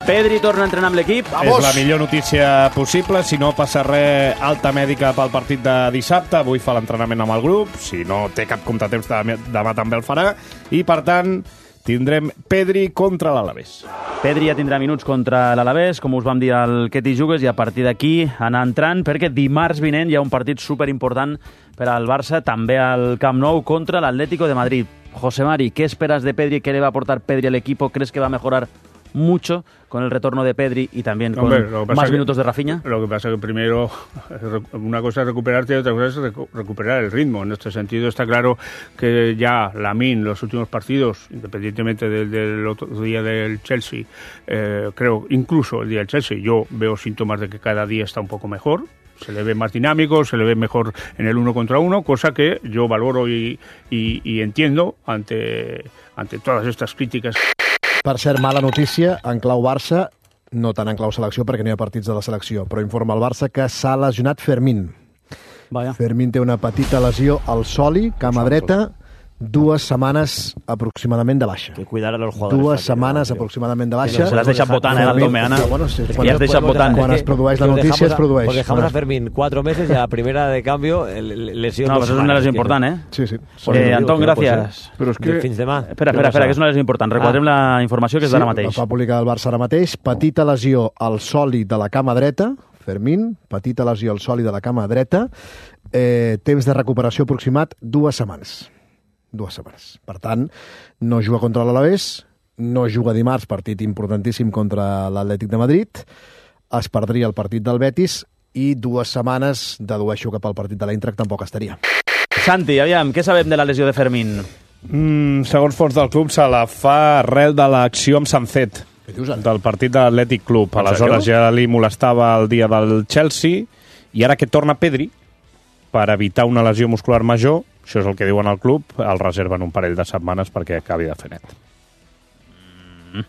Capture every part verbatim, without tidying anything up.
Pedri torna a entrenar amb l'equip. És la millor notícia possible. Si no passa res, alta mèdica pel partit de dissabte. Avui fa l'entrenament amb el grup. Si no té cap contratemps, demà també el farà. I, per tant, tindrem Pedri contra l'Alavés. Pedri ja tindrà minuts contra l'Alavés, com us vam dir al Que t'hi jugues, i a partir d'aquí anar entrant, perquè dimarts vinent hi ha un partit superimportant per al Barça, també al Camp Nou, contra l'Atlético de Madrid. José Mari, ¿qué esperas de Pedri? ¿Qué le va a aportar Pedri al equipo? ¿Crees que va a mejorar mucho con el retorno de Pedri y también con Hombre, más minutos de Rafinha? Lo que pasa es que primero una cosa es recuperarte y otra cosa es recu recuperar el ritmo. En este sentido está claro que ya Lamine, los últimos partidos, independientemente del, del otro día del Chelsea, eh, creo incluso el día del Chelsea, yo veo síntomas de que cada día está un poco mejor. Se le ve más dinámico, se le ve mejor en el uno contra uno, cosa que yo valoro y, y, y entiendo ante, ante todas estas críticas. Per cert, mala notícia, en clau Barça, no tant en clau selecció perquè no hi ha partits de la selecció, però informa el Barça que s'ha lesionat Fermín. Vaya. Fermín té una petita lesió al soli, cama dreta, dues setmanes aproximadament de baixa. Que cuidar a los jugadores. Dues setmanes aproximadament de baixa. Se l'has deixat votant, eh, el Tomeana. Bueno, sí, quan, has deixat votant. Quan es produeix la notícia, es produeix. Pues dejamos a Fermín cuatro meses y a la primera de cambio lesión. No, pues es una lesión importante, ¿eh? Sí, sí. Eh, Antón, gràcies. Però és que... Espera, espera, espera, que és una lesió important. Recordem ah. la informació que és d'ara mateix. Sí, la fa publicar el Barça ara mateix. Petita lesió al sòlid de la cama dreta, Fermín, petita lesió al sòlid de la cama dreta, eh, temps de recuperació aproximat dues setmanes. Dues setmanes. Per tant, no juga contra l'Alavés, no juga dimarts, partit importantíssim contra l'Atlètic de Madrid, es perdria el partit del Betis i dues setmanes, dedueixo que pel partit de l'Eintracht tampoc estaria. Santi, aviam, què sabem de la lesió de Fermín? Mm, segons fons del club, se la fa arrel de l'acció amb Sancet, del partit de l'Atlètic Club. Aleshores ja li molestava el dia del Chelsea i ara que torna Pedri, per evitar una lesió muscular major, això és el que diuen al club, el reserven un parell de setmanes perquè acabi de fer net. Mm.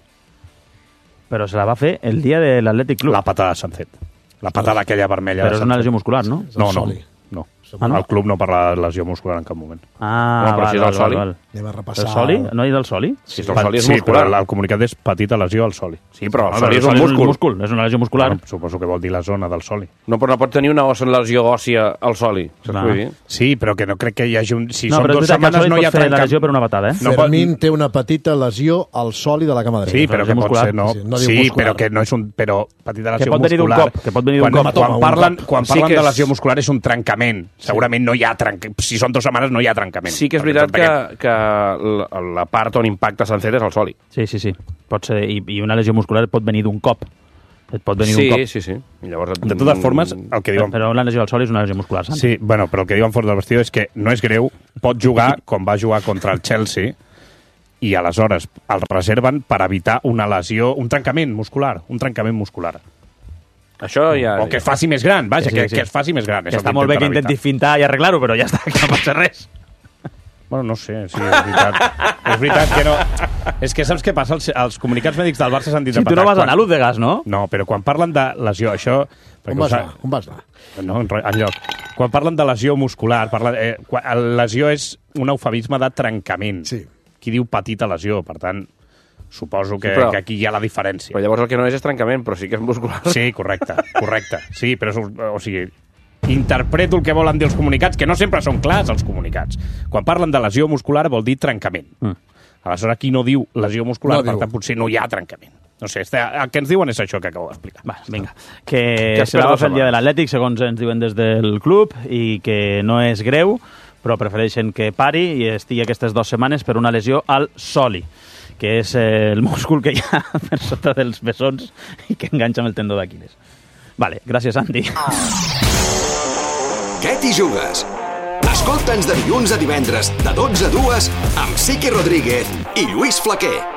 Però se la va fer el dia de l'Atlètic Club. La patada de Sancet. La patada aquella vermella. Però és una lesió muscular, no? No, no. no. Ah, no? El club no parla de lesió muscular en cap moment. Ah, no, val, val, val, val. Anem a repassar... El soli? No hi del soli? Sí, el soli és muscular. Sí, però el comunicat és petita lesió al soli. Sí, però el no, soli és un múscul. múscul. És una lesió muscular. Bueno, suposo que vol dir la zona del soli. No, però no pot tenir una lesió òssia al soli. Sí, però que no crec que hi hagi un... Si no, són dues setmanes no hi ha trencat... la lesió per una patada, eh? No Fermín pot... té una petita lesió al soli de la cama dreta. Sí, però que pot ser, no? Sí, no sí però que no és un... Però petita lesió muscular... Que pot venir d'un cop. Que pot venir d'un cop. Quan parlen, quan parlen de lesió muscular és un trencament. Segurament no hi ha trencament. Si són dues setmanes no hi ha trencament. Sí que és veritat que, que la, la part on impacta Sancet és el soli. Sí, sí, sí. Pot ser, i, i una lesió muscular pot venir d'un cop. Et pot venir sí, d'un cop. Sí, sí, sí. Llavors, de totes formes, el que diuen... Però una lesió al soli és una lesió muscular, Santi. Sí, bueno, però el que diuen fora del vestidor és que no és greu, pot jugar com va jugar contra el Chelsea i aleshores el reserven per evitar una lesió, un trencament muscular, un trencament muscular. Això ja... O que es faci més gran, vaja, sí, sí, que, sí. que es faci més gran. Que està molt bé que intenti fintar i arreglar-ho, però ja està, que no passa res. Bueno, no sé, sí, és veritat. És veritat que no... És que saps què passa? Els, els comunicats mèdics del Barça s'han dit... Sí, tu no vas anar a l'U de gas, no? No, però quan parlen de lesió, això... On vas anar? On vas anar? No, enlloc. Quan parlen de lesió muscular, parlen, eh, quan, lesió és un eufemisme de trencament. Sí. Qui diu petita lesió, per tant... Suposo que, sí, però, que aquí hi ha la diferència. Però llavors el que no és és trencament, però sí que és muscular. Sí, correcte, correcte. Sí, però, o sigui, interpreto el que volen dir els comunicats, que no sempre són clars, els comunicats. Quan parlen de lesió muscular vol dir trencament. Mm. Aleshores, aquí no diu lesió muscular, no per diu. Tant, potser no hi ha trencament. No sé, el que ens diuen és això que acabo d'explicar. Va, vinga. Que, que se la va fer el dia de l'Atlètic, segons ens diuen des del club, i que no és greu, però prefereixen que pari i estigui aquestes dues setmanes per una lesió al soli, que és eh, el múscul que hi ha per sota dels bessons i que enganxa amb el tendó d'Aquiles. Vale, gràcies, Andy. Què t'hi jugues? Escolta'ns de dilluns a divendres, de dotze a dues, amb Sique Rodríguez i Lluís Flaquer.